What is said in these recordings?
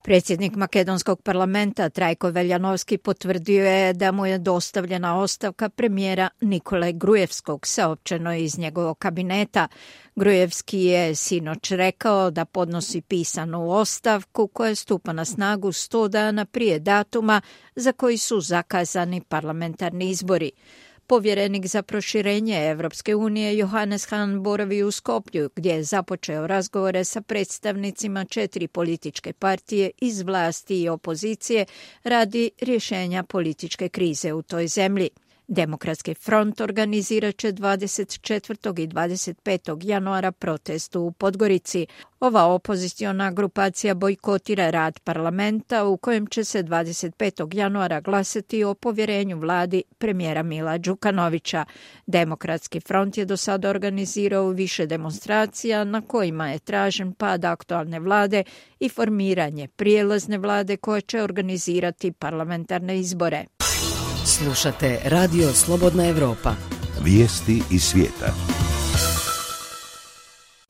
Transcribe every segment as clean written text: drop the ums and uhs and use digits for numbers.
Predsjednik makedonskog parlamenta Trajko Veljanovski potvrdio je da mu je dostavljena ostavka premijera Nikole Grujevskog, saopćeno je iz njegovog kabineta. Grujevski je sinoć rekao da podnosi pisanu ostavku koja stupa na snagu 100 dana prije datuma za koji su zakazani parlamentarni izbori. Povjerenik za proširenje Evropske unije Johannes Hahn boravi u Skoplju, gdje je započeo razgovore sa predstavnicima 4 političke partije iz vlasti i opozicije radi rješenja političke krize u toj zemlji. Demokratski front organizirat će 24. i 25. januara protest u Podgorici. Ova opoziciona grupacija bojkotira rad parlamenta u kojem će se 25. januara glasati o povjerenju vladi premijera Mila Đukanovića. Demokratski front je do sada organizirao više demonstracija na kojima je tražen pad aktualne vlade i formiranje prijelazne vlade koja će organizirati parlamentarne izbore. Slušate Radio Slobodna Evropa. Vijesti iz svijeta.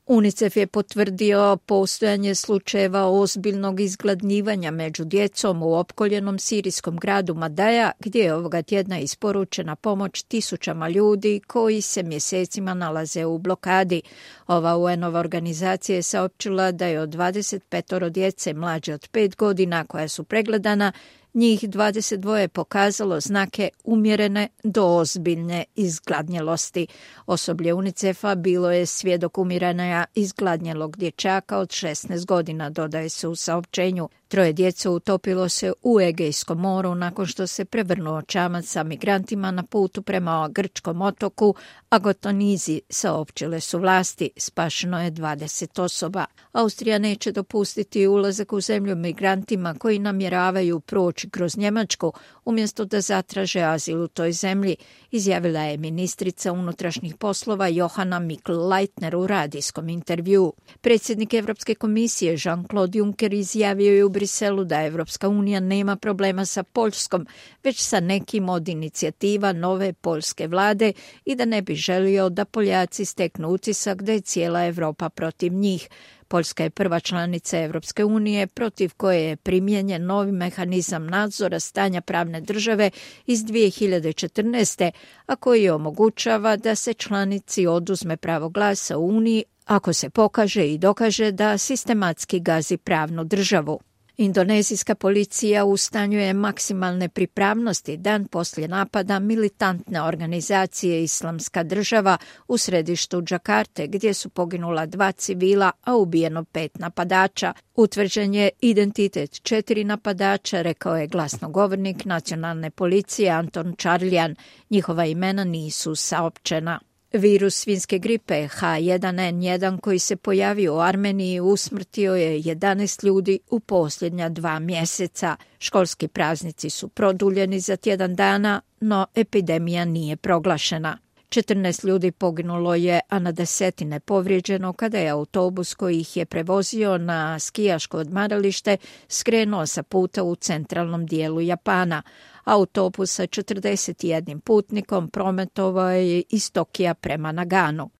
UNICEF je potvrdio postojanje slučajeva ozbiljnog izgladnjivanja među djecom u opkoljenom sirijskom gradu Madaja, gdje je ovoga tjedna isporučena pomoć tisućama ljudi koji se mjesecima nalaze u blokadi. Ova UN-ova organizacija je saopćila da je od 25 djece mlađe od 5 godina koja su pregledana, njih 22 pokazalo znake umjerene do ozbiljne izgladnjelosti. Osoblje UNICEF-a bilo je svjedok umiranja izgladnjelog dječaka od 16 godina, dodaje se u saopćenju. 3 djece utopilo se u Egejskom moru nakon što se prevrnuo čamac sa migrantima na putu prema grčkom otoku Agotonizi, saopćile su vlasti. Spašeno je 20 osoba. Austrija neće dopustiti ulazak u zemlju migrantima koji namjeravaju proći kroz Njemačku umjesto da zatraže azil u toj zemlji, izjavila je ministrica unutrašnjih poslova Johanna Mikl-Leitner u radijskom intervjuu. Predsjednik Europske komisije Jean-Claude Juncker izjavio je u Briselu da Evropska unija nema problema sa Poljskom, već sa nekim od inicijativa nove poljske vlade i da ne bi želio da Poljaci steknu utisak da je cijela Europa protiv njih. Poljska je prva članica Evropske unije protiv koje je primijenjen novi mehanizam nadzora stanja pravne države iz 2014. a koji omogućava da se članici oduzme pravo glasa u Uniji ako se pokaže i dokaže da sistematski gazi pravnu državu. Indonezijska policija u stanju je maksimalne pripravnosti dan poslije napada militantne organizacije Islamska država u središtu Džakarte, gdje su poginula 2 civila, a ubijeno 5 napadača. Utvrđen je identitet 4 napadača, rekao je glasnogovornik nacionalne policije Anton Čarljan. Njihova imena nisu saopćena. Virus svinjske gripe H1N1 koji se pojavio u Armeniji usmrtio je 11 ljudi u posljednja 2 mjeseca. Školski praznici su produljeni za tjedan dana, no epidemija nije proglašena. 14 ljudi poginulo je, a na desetine povrijeđeno kada je autobus koji ih je prevozio na skijaško odmaralište skrenuo sa puta u centralnom dijelu Japana. Autobus sa 41 putnikom prometovao je iz Tokija prema Naganu.